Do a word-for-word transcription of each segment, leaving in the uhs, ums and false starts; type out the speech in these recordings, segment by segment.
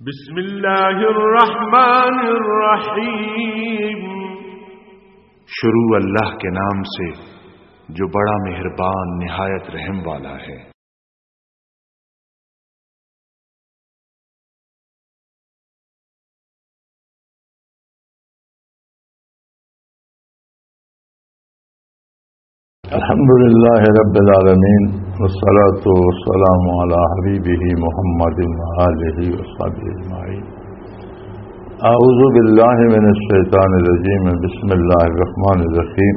بسم اللہ الرحمن الرحیم۔ شروع اللہ کے نام سے جو بڑا مہربان نہایت رحم والا ہے۔ الحمد لله رب العالمين، والصلاة والسلام على حبيبه محمد وآله وصحبه أجمعين. أعوذ بالله من الشيطان الرجيم. بسم الله الرحمن الرحيم.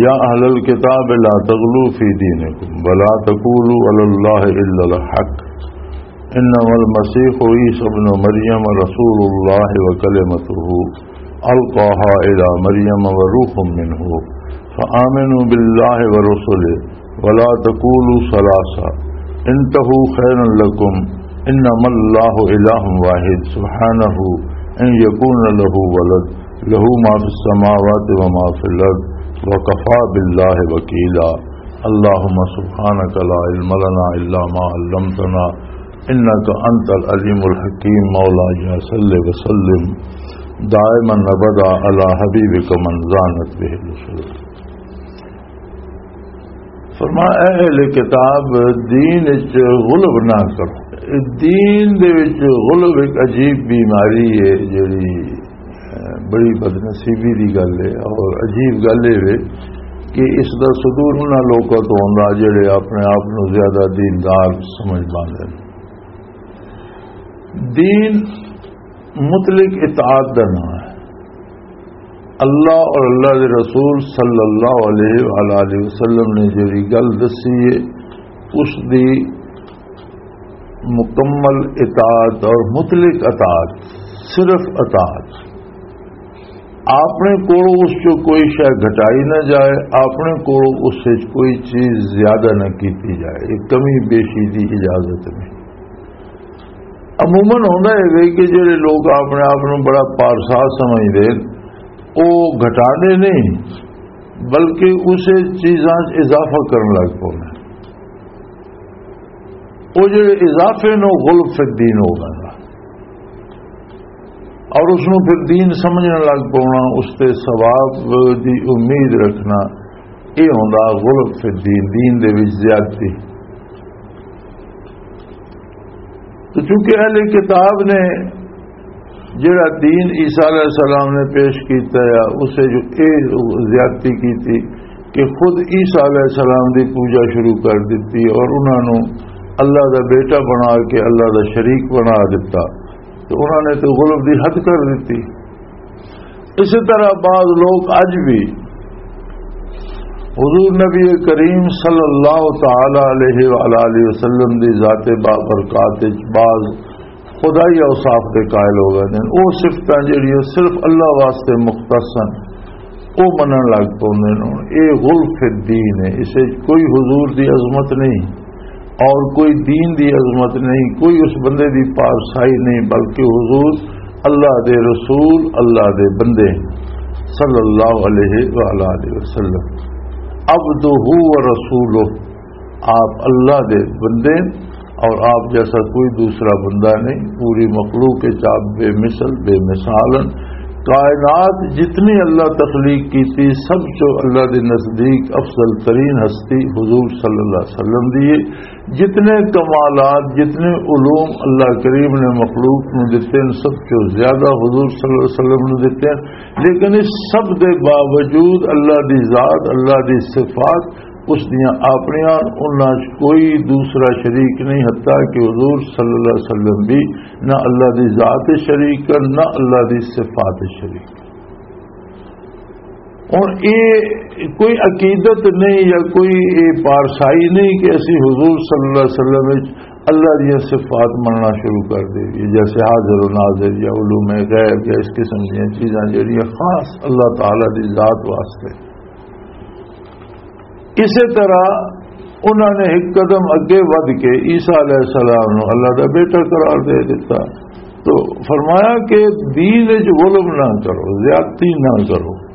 يا أهل الكتاب لا تغلوا في دينكم ولا تقولوا على الله إلا الحق، إنما المسيح عيسى ابن مريم رسول الله وكلمته ألقاها إلى مريم وروح منه، فآمنوا بالله ورسله ولا تقولوا ثلاثة، انتهوا خيرا لكم، إنما الله إله واحد، سبحانه أن يكون له ولد، له ما في السماوات وما في الأرض، وكفى بالله وكيلا. اللهم سبحانك لا علم لنا إلا ما علمتنا، إنك أنت العليم الحكيم. مولاي صل وسلم دائما أبدا على حبيبك من زانت به الأصول. فرمایا، اے اہل کتاب، دین وچ غلو نہ کرو۔ دین دے وچ غلو ایک عجیب بیماری ہے، جڑی، اے، بڑی بدنصیبی دی گل ہے اور عجیب گل یہ ہے کہ اس دا صدور انہاں لوکاں تو ہوندا جڑے اپنے آپ نو زیادہ دیندار سمجھ پاندے نے۔ دین مطلق اطاعت دا نام ہے۔ اللہ اور اللہ دے رسول صلی اللہ علیہ وآلہ وسلم نے جڑی گل دسی ہے، اس دی مکمل اطاعت اور مطلق اطاعت، صرف اطاعت۔ اپنے کولوں اس چوں کوئی شے گھٹائی نہ جائے، اپنے کولوں اس وچ کوئی چیز زیادہ نہ کیتی جائے، ایک کمی بیشی دی اجازت نہیں۔ عموماً ہوندا ہے وے کہ جڑے لوگ اپنے آپ نوں بڑا پارسا سمجھدے، او گھٹاندے نہیں، بلکہ اسے چیزاں 'چ اضافہ کرن لگ پوندے۔ او جڑے اضافے نوں غلو فی الدین ہو گیا اور اس نوں پھر دین سمجھن لگ پونا، اس تے ثواب دی امید رکھنا، یہ ہوندا غلو فی الدین، دین دے وچ زیادتی۔ تو چونکہ اہل کتاب نے جڑا دین عیسیٰ علیہ السلام نے پیش کیتا ہے، اسے جو اے زیادتی کیتی کہ خود عیسیٰ علیہ السلام دی پوجا شروع کر دتی اور انہاں نوں اللہ دا بیٹا بنا کے اللہ دا شریک بنا دتا، تو انہاں نے تو غلو دی حد کر دتی۔ اسی طرح بعض لوگ اج بھی حضور نبی کریم صلی اللہ تعالی علیہ وآلہ وسلم دی ذات بابرکات وچ بعض خدائی اوصاف دے قائل ہو گئے ہیں۔ وہ صفتاں جڑیاں صرف اللہ واسطے مختص ہیں، وہ منن لگ پوندے نے۔ یہ غلو فی الدین ہے، اسے کوئی حضور دی عظمت نہیں اور کوئی دین دی عظمت نہیں، کوئی اس بندے دی پارسائی نہیں، بلکہ حضور اللہ دے رسول، اللہ دے بندے صلی اللہ علیہ وآلہ وسلم، عبدہ و رسولہ، آپ اللہ دے بندے اور آپ جیسا کوئی دوسرا بندہ نہیں۔ پوری مخلوق کے آپ بے مثل، بے مثال ہیں۔ کائنات جتنی اللہ تخلیق کی تھی، سب چو اللہ دے نزدیک افضل ترین ہستی حضور صلی اللہ علیہ وسلم دی ہے۔ جتنے کمالات، جتنے علوم اللہ کریم نے مخلوق نو دتے ہیں، سب چو زیادہ حضور صلی اللہ علیہ وسلم نو دتے ہیں۔ لیکن اس سب دے باوجود اللہ دی ذات، اللہ دی صفات، اس دیاں اپنیاں، انہاں 'چ کوئی دوسرا شریک نہیں، حتیٰ کہ حضور صلی اللہ علیہ وسلم بھی نہ اللہ دی ذات شریک ہے، نہ اللہ دی صفات شریک۔ ہن اے کوئی عقیدت نہیں یا کوئی اے پارسائی نہیں کہ اسی حضور صلی اللہ علیہ وسلم وچ اللہ دیاں صفات مننا شروع کر دے، جیسے حاضر و ناظر یا علوم غیب یا اس قسم دیاں چیزاں جڑیاں خاص اللہ تعالی دی ذات واسطے۔ اسی طرح انہوں نے ایک قدم اگے ودھ کے عیسیٰ علیہ السلام نو اللہ دا بیٹا قرار دے دیتا۔ تو فرمایا کہ دین وچ غلو نہ کرو، زیادتی نہ کرو،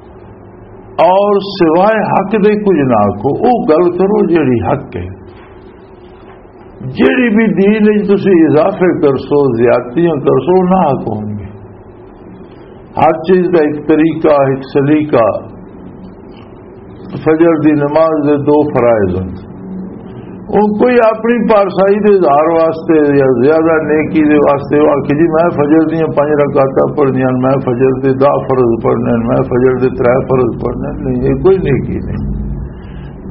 اور سوائے حق دے کچھ نہ آکھو، او گل کرو جیڑی حق ہے۔ جیڑی بھی دین وچ تسی اضافے کرسو، زیادتیاں کرسو، نہ حق ہونگے۔ ہر چیز دا ایک طریقہ، ایک سلیقہ۔ فجر دی نماز دے دو فرائض ہن، ہن کوئی اپنی پارسائی دے اظہار واسطے یا زیادہ نیکی دے واسطے وہ آکھے، "جی، میں فجر دیاں پنج رکعتاں پڑھنیاں، میں فجر دے دہ فرض پڑھنے، میں فجر دے ترے فرض پڑھنے۔" نہیں، یہ کوئی نیکی نہیں۔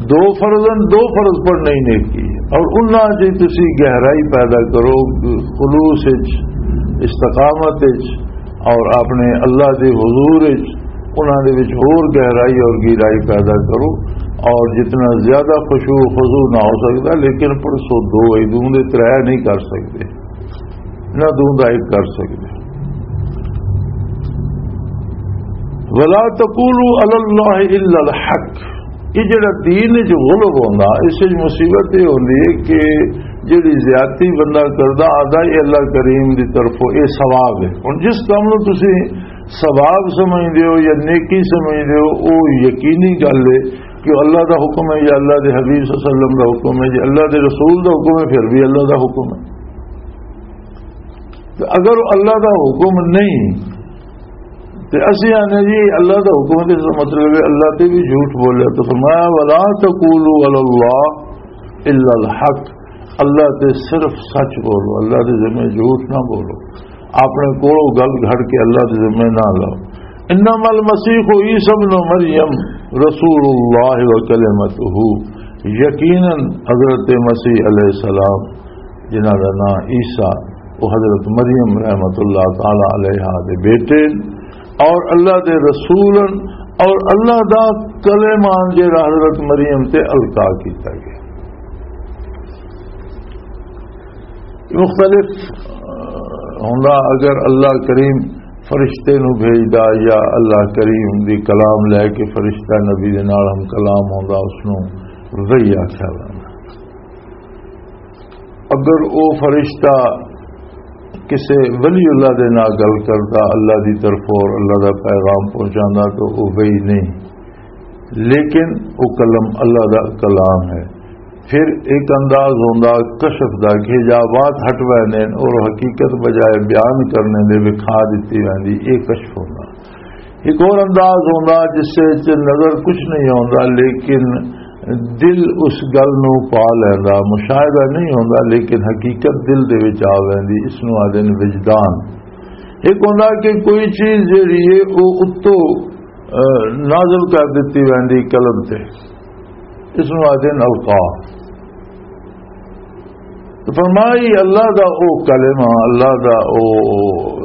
دو فرض ہن، دو فرض پڑھنے ہی نیکی ہے۔ اور انہاں چ تسی گہرائی پیدا کرو، خلوص وچ، استقامت وچ، اور اپنے اللہ دے حضور وچ، انہاں دے وچ ہور گہرائی اور گہرائی پیدا کرو۔ اور جتنا زیادہ خشوع و خضوع نہ ہو سکتا، لیکن پڑھسو دو، اے دوں دے ترے نہیں کر سکتے، نہ دوں دا ایک کر سکتے، ولا تقولوا علی اللہ الا الحق۔ یہ جڑا دین وچ غلب ہوندا، اس وچ مصیبت یہ ہوندی ہے کہ جڑی زیادتی بندہ کردا، آدھا یہ اللہ کریم دی طرفوں یہ ثواب ہے۔ ہن جس کام نوں تسی ثواب سمجھدے ہو یا نیکی سمجھدے ہو، وہ یقینی گل ہے کہ اللہ دا حکم ہے یا اللہ دے حبیب صلی اللہ علیہ وسلم دا حکم ہے، جے اللہ دے رسول دا حکم ہے، پھر بھی اللہ دا حکم ہے۔ تے اگر اللہ دا حکم نہیں، تے اسی آنے جی اللہ دا حکم ہے، تے اس دا مطلب ہے اللہ تے بھی جھوٹ بولیا۔ تو فرمایا، "ولا تقولوا علی اللہ الا الحق"، اللہ تے صرف سچ بولو، اللہ دے ذمہ جھوٹ نہ بولو، اپنے کولوں گل گھڑ کے اللہ دے ذمہ نہ لاؤ۔ "انما المسیح عیسی ابن مریم رسول اللہ و کلمتہ"، یقیناً حضرت مسیح علیہ السلام، جنہاں دا نام عیسیٰ، وہ حضرت مریم رحمت اللہ تعالی علیہا دے بیٹے اور اللہ دے رسول، اور اللہ دا کلمہ جڑا حضرت مریم تے القا کیتا گیا۔ مختلف، آ، ہوندا، اگر اللہ کریم فرشتے نو بھیجدا یا اللہ کریم دی کلام لے کے فرشتہ نبی دے نال ہم کلام ہوندا، اس نو وحی آکھیا ویندا۔ اگر او فرشتہ کسے ولی اللہ دے نال گل کردا، اللہ دی طرف اور اللہ دا پیغام پہنچاندا، تو او وحی نہیں، لیکن او کلم اللہ دا کلام ہے۔ پھر ایک انداز ہوندا کشف دا کہ حجابات ہٹ ویندے نے اور حقیقت بجائے بیان کرنے دے وکھا دتی ویندی، اے کشف ہوندا۔ ایک اور انداز ہوندا جس وچ نظر کچھ نہیں ہوندا، لیکن دل اس گل نو پا لیندا، مشاہدہ نہیں ہوندا لیکن حقیقت دل دے وچ آ ویندی، اس نو آدھے نے وجدان۔ ایک ہوندا کہ کوئی چیز جڑی ہے او اتو، آ، نازل کر دتی ویندی قلب تے، اس نو آدھے نے القا۔ تو فرمائی اللہ دا او کلمہ، اللہ دا او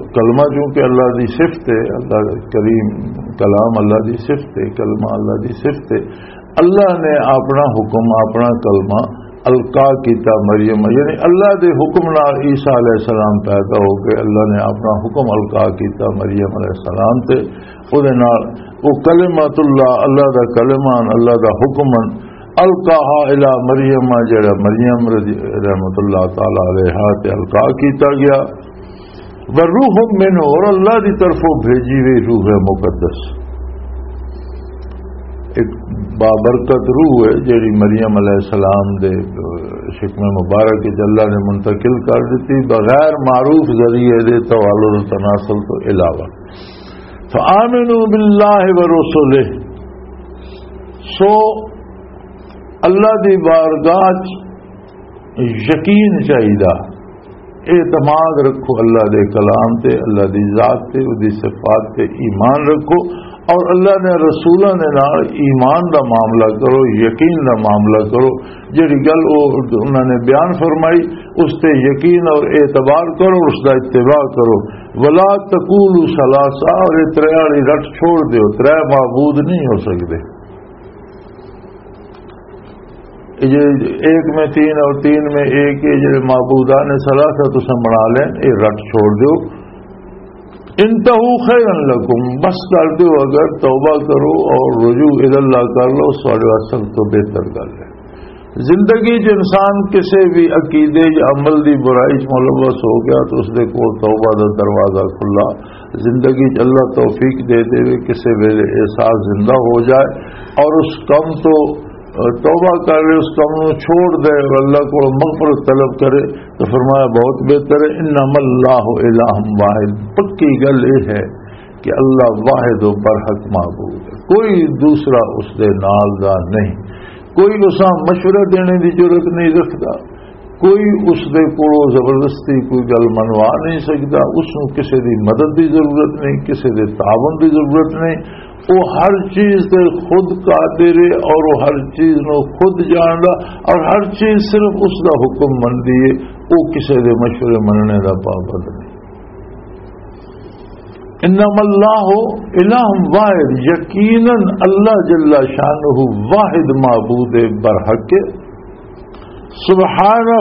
کلمہ، چونکہ اللہ دی صفت ہے، اللہ کریم کلام اللہ دی صفت ہے، کلمہ اللہ دی صفت ہے۔ اللہ نے اپنا حکم، اپنا کلمہ القا کیتا مریم، یعنی اللہ دے حکم نال عیسیٰ علیہ السلام پیدا ہو گئے، اللہ نے اپنا حکم القا کیتا مریم علیہ السلام تے، او دے نال او کلمۃ اللہ، اللہ دا کلمہ، اللہ دا حکم، القاہا الی مریم، جڑا مریم رضی، رحمت اللہ تعالی علیہا تے القا کیتا گیا۔ وروح منہ، اور اللہ دی طرفوں بھیجی ہوئی روح مقدس، ایک بابرکت روح ہے جڑی مریم علیہ السلام دے شکم مبارک وچ اللہ نے منتقل کر دیتی بغیر معروف ذریعے دے توالد و تناسل تو علاوہ۔ فآمنوا باللہ ورسلہ، سو اللہ دی بارگاہ چ یقین چاہیدا، اعتماد رکھو اللہ دے کلام تے، اللہ دی ذات تے، اودی صفات تے ایمان رکھو، اور اللہ نے رسولاں دے نال ایمان دا معاملہ کرو، یقین دا معاملہ کرو۔ جڑی گل او انہاں نے بیان فرمائی، اس تے یقین اور اعتبار کرو، اس دا اتباع کرو۔ ولا تقولوا ثلاثہ، اور یہ ترے والی رٹ چھوڑ دیو، ترے معبود نہیں ہو سکدے۔ یہ جو ایک میں تین اور تین میں ایک، یہ جو معبودان ثلاثہ تساں بنا لیں، یہ رٹ چھوڑ دیو۔ انتہو خیرا لکم، بس کر دیو، اگر توبہ کرو اور رجوع الی اللہ کر لو، سارے واسطے تو بہتر گل ہے۔ زندگی چ انسان کسے بھی عقیدے یا عمل دی برائی چ ملوث ہو گیا تو اس دے کول توبہ دا دروازہ کھلا۔ زندگی چ اللہ توفیق دے دے، کسے ویلے احساس زندہ ہو جائے اور اس کم تو توبہ کر لے، اس کم نو چھوڑ دے اور اللہ کو مغفرت طلب کرے، تو فرمایا، بہت بہتر ہے۔ انما اللہ الہ واحد، پکی گل یہ ہے کہ اللہ واحد و برحق معبود ہے، کوئی دوسرا اس دے نال دا نہیں، کوئی اساں مشورہ دینے دی ضرورت نہیں رکھدا، کوئی اس دے کولوں زبردستی کوئی گل منوا نہیں سکدا، اس نوں کسے دی مدد دی ضرورت نہیں، کسے دے تعاون دی ضرورت نہیں۔ وہ ہر چیز تے خود قادر ہے اور وہ ہر چیز نو خود جاندا، اور ہر چیز صرف اس دا حکم مندی ہے، وہ کسے دے مشورے مننے دا پابند نہیں۔ انما اللہ الہ واحد، یقیناً اللہ جل شانہ واحد معبود برحق ہے۔ سبحانہ،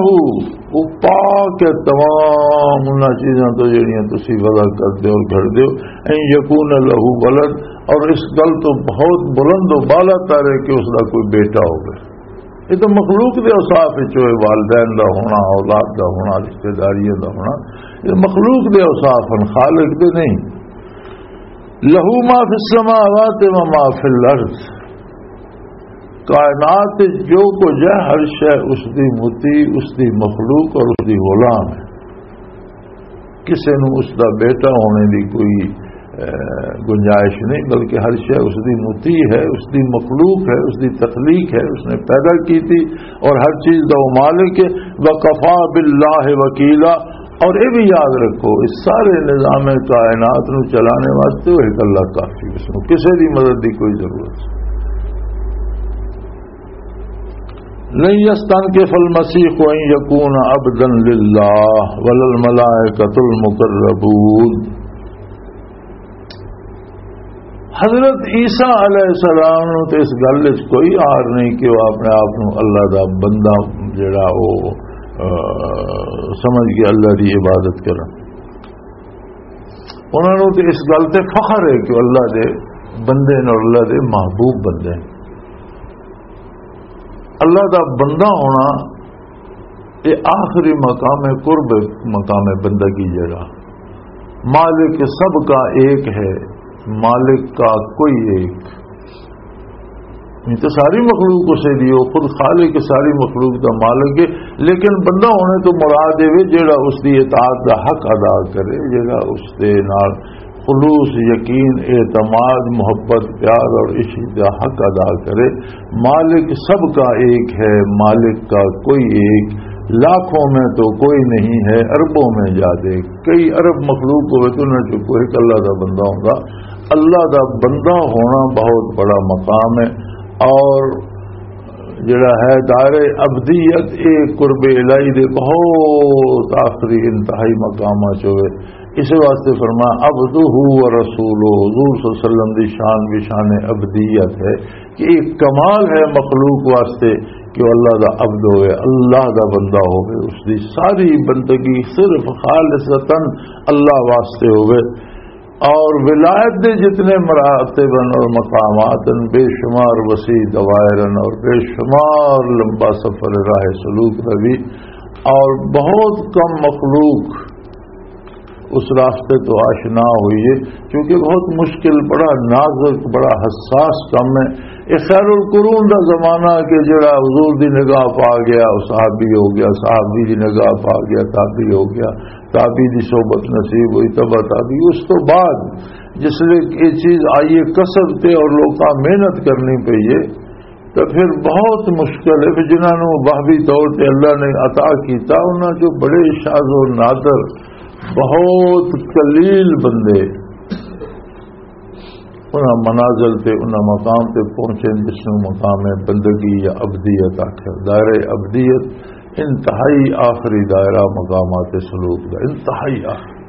وہ پاک ہے تمام انہاں چیزاں تو جڑیاں تسی وضع کر دے اور گھڑ دے ہو۔ ان یکون لہ ولد، اور اس گل تو بہت بلند و بالا تر ہے کہ اس دا کوئی بیٹا ہوگا۔ یہ تو مخلوق دے اوصاف وچ ہوئے، والدین دا ہونا، اولاد دا ہونا، رشتہ داریاں دا ہونا، یہ مخلوق دے اوصاف ہیں، خالق دے نہیں۔ لہو ما فی السماوات و ما فی الارض، کائنات وچ جو کچھ ہے، ہر شے اس دی مطیع، اس دی مخلوق اور اس دی غلام ہے۔ کسے نوں اس دا بیٹا ہونے دی کوئی، اے، گنجائش نہیں، بلکہ ہر شے اس دی مطیع ہے، اس دی مخلوق ہے، اس دی تخلیق ہے، اس نے پیدا کی تھی اور ہر چیز دا وہ مالک ہے۔ وکفا باللہ وکیلا، اور یہ بھی یاد رکھو، اس سارے نظام کائنات نو چلانے واسطے وہ ایک اللہ کافی، اس نو کسے دی مدد دی کوئی ضرورت نہیں۔ لن يستنكف المسيح أن يكون عبدا لله ولا الملائكة المقربون۔ حضرت عیسیٰ علیہ السلام نو تے اس گل وچ کوئی آر نہیں کہ وہ اپنے آپ نو اللہ دا بندہ جڑا وہ، آ، سمجھ کے اللہ دی عبادت کرن۔ انہاں نو تے اس گل تے فخر ہے کہ اللہ دے بندے نے اور اللہ دے محبوب بندے نے۔ اللہ دا بندہ ہونا، یہ آخری مقام ہے، قرب مقام ہے بندگی جڑا۔ مالک سب کا ایک ہے، مالک کا کوئی ایک۔ یہ تو ساری مخلوق اسے دی، وہ خود خالق ساری مخلوق دا مالک ہے، لیکن بندہ ہونے تو مراد یہ وے جڑا اس دی اطاعت دا حق ادا کرے، جڑا اس دے نال خلوص، یقین، اعتماد، محبت، پیار اور عشق کا حق ادا کرے۔ مالک سب کا ایک ہے، مالک کا کوئی ایک، لاکھوں میں تو کوئی نہیں ہے، اربوں میں جا دیکھ، کئی ارب مخلوق ہوئے تو انہاں چوں کوئی ایک اللہ دا بندہ ہوگا۔ اللہ دا بندہ ہونا بہت بڑا مقام ہے، اور جڑا ہے دار ابدیت، اے قرب الہی دے بہت آخری انتہائی مقامات چ ہوئے۔ اس واسطے فرمایا، عبدہ و رسولہ، حضور صلی اللہ علیہ وسلم دی شان بھی شان ابدیت ہے کہ ایک کمال ہے مخلوق واسطے کہ وہ اللہ دا عبد ہوئے، اللہ دا بندہ ہوئے، اس دی ساری بندگی صرف خالصتاً اللہ واسطے ہوئے۔ اور ولایت دے جتنے مراتب ہیں اور مقامات ہیں، بے شمار وسیع دوائر ہیں اور بے شمار لمبا سفر راہ سلوک دا بھی، اور بہت کم مخلوق اس راستے تو آشنا ہوئی ہے، کیونکہ بہت مشکل، بڑا نازک، بڑا حساس کم ہے۔ یہ خیر القرون دا زمانہ کہ جڑا حضور دی نگاہ پا گیا، وہ صحابی ہو گیا، صحابی دی نگاہ پا گیا، تابعی ہو گیا، تابعی دی صحبت نصیب ہوئی، تبع تابعی۔ اس تو بعد جس لئے یہ چیز آئی ہے کسب تے اور لوکاں محنت کرنی پئی ہے، تو پھر بہت مشکل ہے۔ پھر جنہاں نوں وہبی طور تے اللہ نے عطا کیتا، انہاں چوں بڑے شاذ و نادر، بہت قلیل بندے انہاں منازل تے، انہاں مقام تے پہنچے جس نوں مقام بندگی یا ابدیت آکھے۔ دائرہ ابدیت انتہائی آخری دائرہ مقامات سلوک دا، انتہائی آخری۔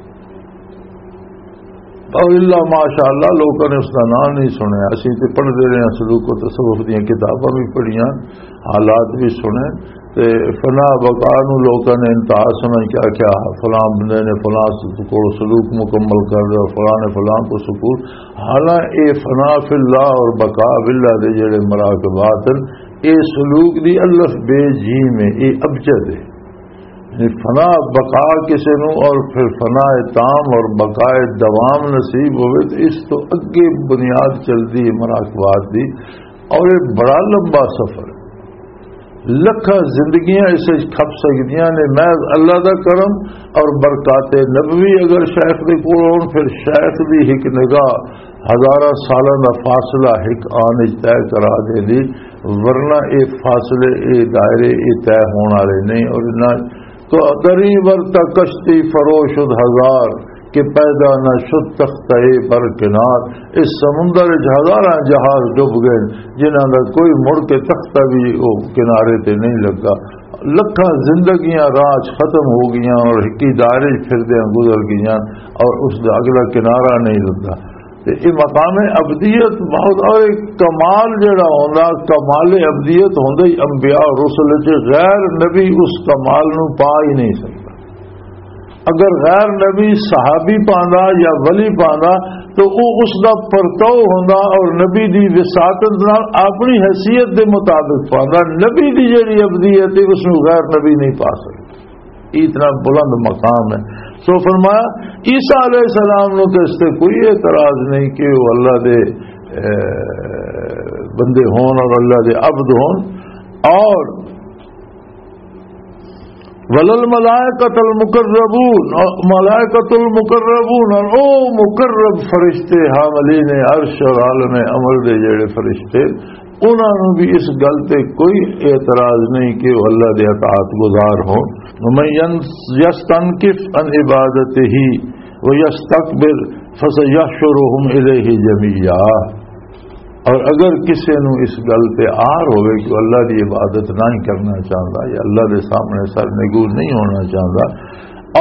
اور الا ماشاءاللہ لوکاں نے اس دا نام نہیں سنیا۔ اسی تے پڑھدے رہے ہیں، سلوک و تصوف دیاں کتاباں بھی پڑھیاں، حالات بھی سنے۔ تے فنا بقا نو لوکاں نے انتہا سمجھ کے آکھیا، فلاں بندے نے فلاں س-، کو سلوک مکمل کر لیا، فلاں نے فلاں کو سکول۔ حالانکہ اے فنا فی اللہ اور بقا فی اللہ دے جڑے مراقبات ہیں، اے سلوک دی الف بے جیم ہے، اے ابجد ہے۔ یعنی فنا بقا کسے نو اور پھر فنا تام اور بقا دوام نصیب ہوئے تو اس تو اگے بنیاد چل دی ہے مراقبات دی۔ اور یہ بڑا لمبا سفر ہے، لکھاں زندگیاں اس وچ کھپ سکدیاں نے، محض اللہ دا کرم اور برکات نبوی اگر شیخ دے کول ہون، پھر شیخ دی ایک نگاہ ہزاراں سالاں دا فاصلہ ایک آن وچ طے کرا دے دی، ورنہ اے فاصلے، اے دائرے، اے طے ہون والے نہیں۔ اور نہ تو دریں ورتا کشتی فرو شد ہزار، کہ پیدا نہ شد تختہ بر کنار۔ اس سمندر وچ ہزاراں جہاز ڈوب گئے، جنہاں دا کوئی مڑ کے تختہ بھی وہ کنارے تے نہیں لگا۔ لکھاں زندگیاں راہ چ ختم ہو گئیاں اور ہکی دائرے چ پھردیاں گزر گئیاں اور اس دا اگلا کنارہ نہیں لگا۔ تے یہ مقام ابدیت بہت، اور ایک کمال جڑا ہوندا، کمال ابدیت ہوندا ہی انبیاء اور رسل وچ، غیر نبی اس کمال نو پا ہی نہیں سکدا۔ اگر غیر نبی صحابی پاندا یا ولی پاندا تو وہ اس دا پرتو ہوندا اور نبی دی وساطت نال اپنی حیثیت دے مطابق پاندا۔ نبی دی جڑی ابدیت ہے، اس نو غیر نبی نہیں پا سکدا۔ اتنا بلند مقام ہے۔ سو فرمایا، عیسیٰ علیہ السلام نو تو اس تے کوئی اعتراض نہیں کہ وہ اللہ دے، اے، بندے ہون اور اللہ دے عبد ہون۔ اور ولل ملائکۃ المقربون، ملائکۃ المقربون، اور او مقرب فرشتے، حاملین عرش اور عالم امر دے جڑے فرشتے، انہاں نوں بھی اس گل تے کوئی اعتراض نہیں کہ وہ اللہ دے اطاعت گزار ہون۔ ومن ین-، یستنکف عن عبادتہ ویستکبر فسیحشرہم الیہ جمیعا۔ اور اگر کسی نو اس گل تے آر ہوئے کہ وہ اللہ دی عبادت نہیں کرنا چاہتا یا اللہ دے سامنے سر نگو نہیں ہونا چاہتا،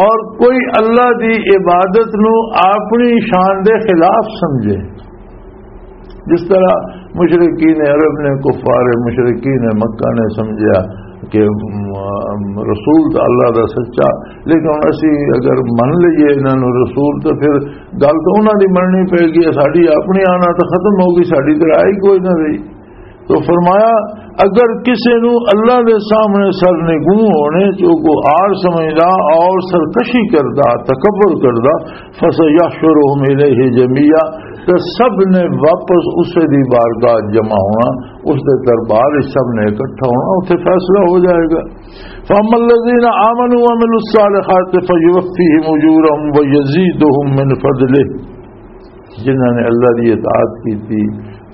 اور کوئی اللہ دی عبادت نو اپنی شان دے خلاف سمجھے، جس طرح مشرکین عرب نے، کفار مشرکین مکہ نے سمجھا کہ، م-، رسول تو اللہ دا سچا، لیکن ہن اسی اگر من لئیے انہاں نوں رسول، تو پھر گل تو انہاں دی مننی پے گی، ساڈی اپنی آنا تو ختم ہو گئی، ساڈی تو راہ ہی کوئی نہ رہی۔ تو فرمایا، اگر کسی نو اللہ دے سامنے سر نگوں ہونے چ کو آر سمجھدا اور سرکشی کردا، تکبر کردا، فسیحشرہم الیہ جمیعا، تو سب نے واپس اسے دی بارگاہ جمع ہونا، اس دے دربار وچ سب نے اکٹھا ہونا، اتنے فیصلہ ہو جائے گا۔ فاما الذین آمنوا وعملوا الصالحات فیوفیہم اجورہم ویزیدہم من فضلہ۔ جنہاں نے اللہ دی اطاعت کیتی،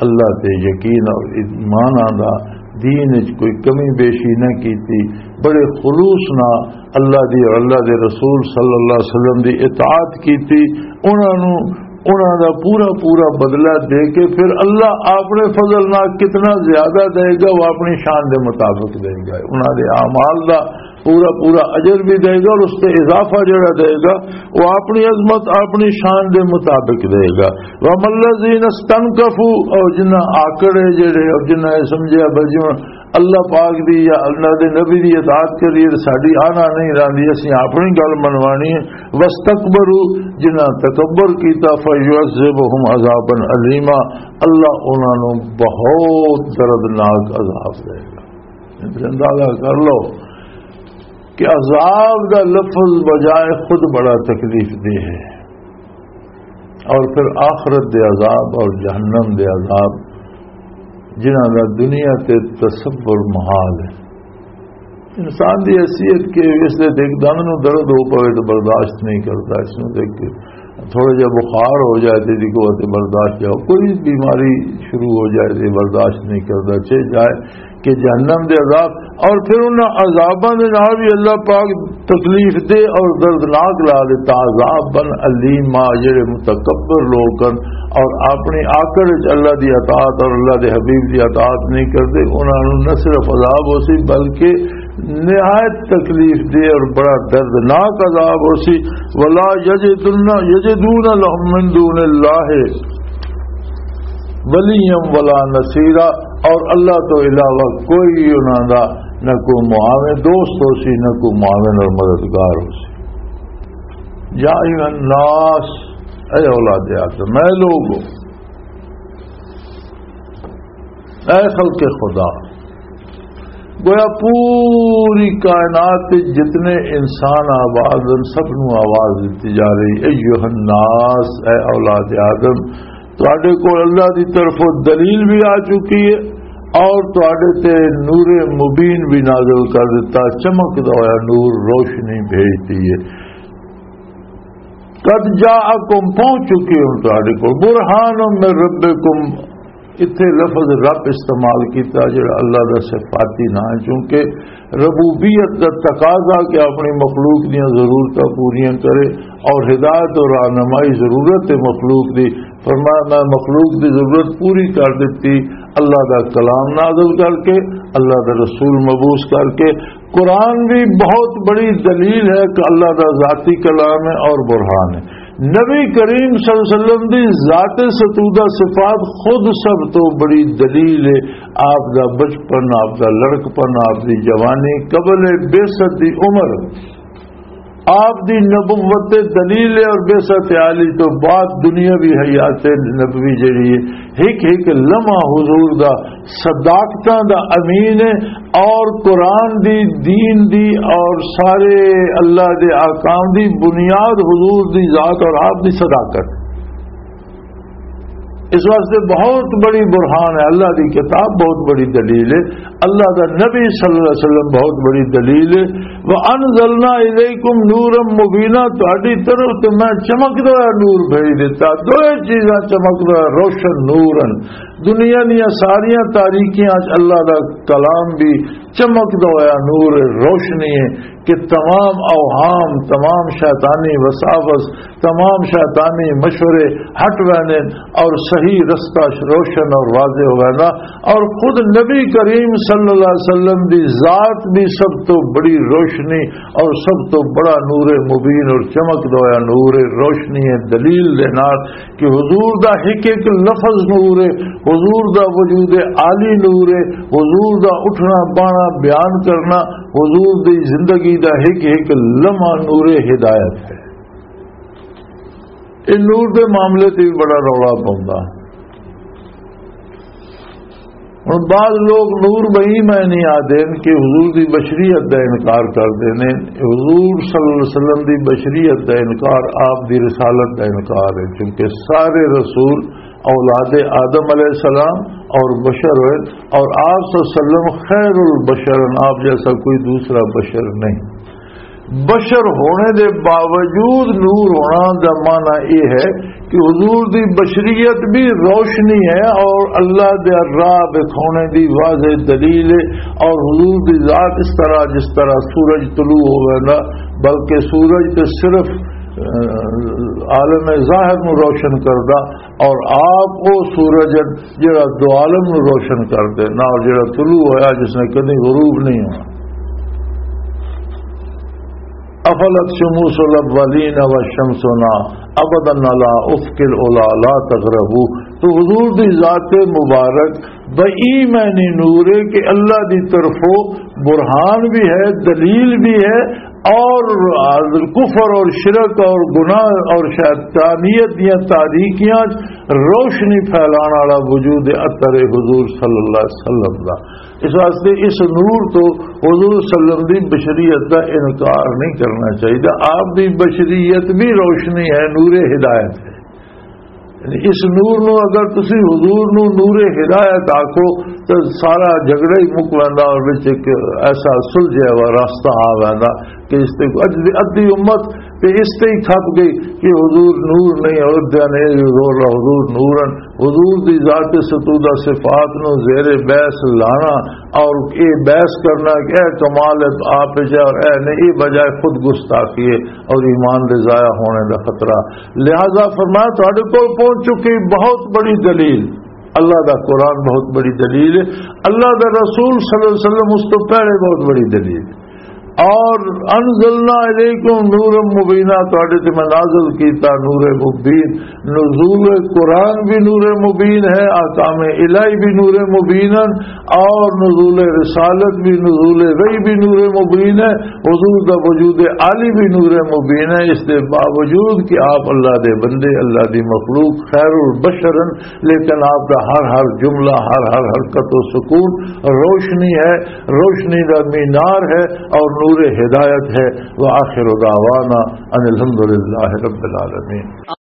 اللہ تے یقین اور ایمان آندا، دین وچ کوئی کمی بیشی نہ کیتی، بڑے خلوص نال اللہ دی اور اللہ دے رسول صلی اللہ علیہ وسلم دی اطاعت کیتی، انہاں نوں، انہاں دا پورا پورا بدلہ دے کے پھر اللہ اپنے فضل نال کتنا زیادہ دے گا، وہ اپنی شان دے مطابق دے گا۔ انہاں دے اعمال دا پورا پورا اجر بھی دے گا اور اس تے اضافہ جڑا دے گا، وہ اپنی عظمت، اپنی شان دے مطابق دے گا۔ وَأَمَّا الَّذِينَ اسْتَنكَفُوا، اور جنہاں آکڑے جڑے، اور جنہاں یہ سمجھیا بھائی جی ہن اللہ پاک دی یا اللہ دے نبی دی اطاعت کریے تے ساڈی آنا نہیں راندی، اسی اپنی گل منوانی ہے۔ وَاسْتَكْبَرُوا، جنہاں تکبر کیتا، فَيُعَذِّبُهُمْ عَذَابًا أَلِيمًا، اللہ انہاں نوں بہت دردناک عذاب دے گا۔ اندازہ کر لو کہ عذاب دا لفظ بجائے خود بڑا تکلیف دہ ہے، اور پھر آخرت دے عذاب اور جہنم دے عذاب، جنہاں دا دنیا تے تصور محال ہے۔ انسان دی حیثیت کہ اس دے ایک دند نوں درد ہو پوے تو برداشت نہیں کرتا، اس نوں دیکھ کے تھوڑا جہا بخار ہو جائے تے دی قوت برداشت جاؤ، کوئی بیماری شروع ہو جائے تے برداشت نہیں کرتا، چاہے جائے کہ جہنم دے عذاب، اور پھر انہاں عذاباں دے نال بھی اللہ پاک تکلیف دے اور دردناک لا دیتا، عذاباً الیما، جڑے متکبر لوگ ہن اور اپنی آکڑ وچ اللہ دی اطاعت اور اللہ دے حبیب دی اطاعت نہیں کردے، انہاں نوں نہ صرف عذاب ہو سی بلکہ نہایت تکلیف دے اور بڑا دردناک عذاب ہو سی۔ ولا یجدن، یجدون لهم من دون اللہ ولیا ولا نصیرا، اور اللہ تو علاوہ کوئی انہاں دا نہ کوئی معاون دوست ہو سی، نہ کوئی معاون اور مددگار ہو سی۔ یا ایھا الناس، اے اولاد آدم، اے لوگو، اے خلق خدا، گویا پوری کائنات وچ جتنے انسان آباد ہیں، سب نوں آواز دتی جا رہی، ایھا الناس، اے اولاد آدم، تہاڈے کول اللہ دی طرفوں دلیل بھی آ چکی ہے، اور تواڈے تے نور مبین بھی نازل کر دیتا، چمکدا ہویا نور، روشنی بھیج دی ہے۔ قد جاءکم، پہنچ چکی ہوں تواڈے کول، برہان من ربکم۔ اتھے لفظ رب استعمال کیتا، جڑا اللہ دا صفاتی نام ہے، چونکہ ربوبیت دا تقاضا کہ اپنی مخلوق دیاں ضرورتاں پوریاں کرے، اور ہدایت اور رہنمائی ضرورت ہے مخلوق دی۔ فرمایا، میں مخلوق دی ضرورت پوری کر دتی اللہ دا کلام نازل کر کے، اللہ دا رسول مبعوث کر کے۔ قرآن بھی بہت بڑی دلیل ہے کہ اللہ دا ذاتی کلام ہے اور برہان ہے۔ نبی کریم صلی اللہ علیہ وسلم دی ذات ستودہ صفات خود سب تو بڑی دلیل ہے۔ آپ دا بچپن، آپ دا لڑکپن، آپ دی جوانی، قبل بعثت دی عمر، آپ دی نبوت دلیل ہے، اور بعثت عالی تو بعد دنیاوی حیات نبوی جڑی ہے، ہک ہک لمحہ حضور دا صداقتاں دا امین ہے، اور قرآن دی، دین دی، اور سارے اللہ دے احکام دی بنیاد حضور دی ذات اور آپ دی صداقت۔ اس واسطے بہت بڑی برہان ہے، اللہ دی کتاب بہت بڑی دلیل ہے، اللہ دا نبی صلی اللہ علیہ وسلم بہت بڑی دلیل ہے۔ وَأَنزَلْنَا إِلَيْكُمْ نُورًا مُبِينًا، تہاڈی طرف تے میں چمکدا ہویا نور بھیج دیتا۔ دوئے چیزاں چمکدا ہویا، روشن نور ہیں۔ دنیا دیاں ساریاں تاریکیاں وچ اللہ دا کلام بھی چمکدا ہویا نور، روشنی ہے کہ تمام اوہام، تمام شیطانی وساوس، تمام شیطانی مشورے ہٹ ویندے اور صحیح رستہ روشن اور واضح ہو ویندا۔ اور خود نبی کریم صلی اللہ علیہ وسلم دی ذات بھی سب تو بڑی روشنی اور سب تو بڑا نور مبین اور چمکدا ہویا نور، روشنی ہے دلیل دے نال کہ حضور دا ہک ہک لفظ نور ہے، حضور دا وجود عالی نور ہے، حضور دا اٹھنا بانا بیان کرنا، حضور دی زندگی دا ہک ہک لمحہ نور ہدایت ہے۔ اے نور دے معاملے تے بھی بڑا رولا پوندا۔ ہن بعض لوگ نور بئی میں نہیں آدے کہ حضور دی بشریت دا انکار کر دینے۔ حضور صلی اللہ علیہ وسلم دی بشریت دا انکار آپ دی رسالت دا انکار ہے، کیونکہ سارے رسول اولاد آدم علیہ السلام اور بشر ہوئے، اور آپ صلی اللہ علیہ وسلم خیر البشر ہیں، آپ جیسا کوئی دوسرا بشر نہیں۔ بشر ہونے دے باوجود نور ہونا دا معنی یہ ہے کہ حضور دی بشریت بھی روشنی ہے اور اللہ دے راہ دکھانے دی واضح دلیل ہے۔ اور حضور دی ذات اس طرح، جس طرح سورج طلوع ہوئے نا، بلکہ سورج تے صرف، آ، عالم ظاہر نو روشن کردا، اور آپ او سورج ہیں جڑا دو عالم نو روشن کر دے، نہ جڑا طلوع ہویا جس نے کدی غروب نہیں ہونا۔ افلت شموس الاولین و شمسنا ابدا علی افق العلا لا تغربو۔ تو حضور دی ذات مبارک بئی معنی نور ہے کہ اللہ دی طرفوں برہان بھی ہے، دلیل بھی ہے، اور کفر اور شرک اور گناہ اور شیطانیت دیاں تاریکیاں روشنی پھیلان والا وجود اطہر حضور صلی اللہ علیہ وسلم دا۔ اس واسطے اس نور تو حضور صلی اللہ علیہ وسلم دی بشریت دا انکار نہیں کرنا چاہیے۔ آپ دی بشریت بھی روشنی ہے، نور ہدایت ہے۔ یعنی اس نور نو اگر تسی حضور نو نور ہدایت آکھو تو سارا جھگڑا ہی مک ویندا اور وچ ایک ایسا سلجھیا ہوا راستہ آ ویندا کہ اس تے اج دی ادھی امت تے اس تے ہی کھپ گئی کہ حضور نور نہیں، اور دیا نے یہ زور لا حضور نور ہیں۔ حضور دی ذات ستودہ صفات نو زیر بحث لانا اور یہ بحث کرنا کہ اے کمال ہے تو آپ جائے اور اے نہیں، یہ بجائے خود گستاخی ہے اور ایمان دے ضائع ہونے دا خطرہ۔ لہذا فرمایا، تہاڈے کول پہنچ چکی بہت بڑی دلیل، اللہ دا قرآن بہت بڑی دلیل ہے، اللہ دا رسول صلی اللہ علیہ وسلم اس تو پہلے بہت بڑی دلیل۔ اور انزلنا الیکم نورا مبینا، تہاڈے تے میں نازل کیتا نور مبین۔ نزول قرآن بھی نور مبین ہے، احکام الہی بھی نور مبین ہیں، اور نزول رسالت بھی، نزول وحی بھی نور مبین ہے، حضور دا وجود عالی بھی نور مبین ہے۔ اس دے باوجود کہ آپ اللہ دے بندے، اللہ دی مخلوق، خیر البشر ہیں، لیکن آپ دا ہر ہر جملہ، ہر ہر حرکت و سکون روشنی ہے، روشنی دا مینار ہے اور نور ہدایت ہے۔ وآخر دعوانا ان الحمد للہ رب العالمین۔